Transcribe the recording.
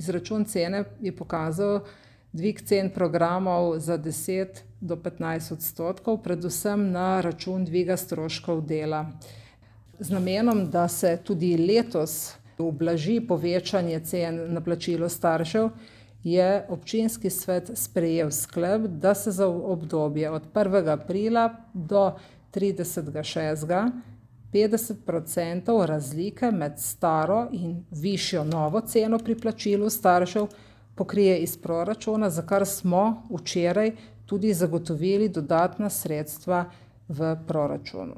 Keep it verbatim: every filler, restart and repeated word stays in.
izračun cene je pokazal dvig cen programov za deset do petnajst odstotkov, predvsem na račun dviga stroškov dela. Z namenom, da se tudi letos ublaži povečanje cen na plačilo staršev, je občinski svet sprejel sklep, da se za obdobje od prvega aprila do tridesetega šestega petdeset procentov razlike med staro in višjo novo ceno pri plačilu staršev pokrije iz proračuna, za kar smo včeraj tudi zagotovili dodatna sredstva v proračunu.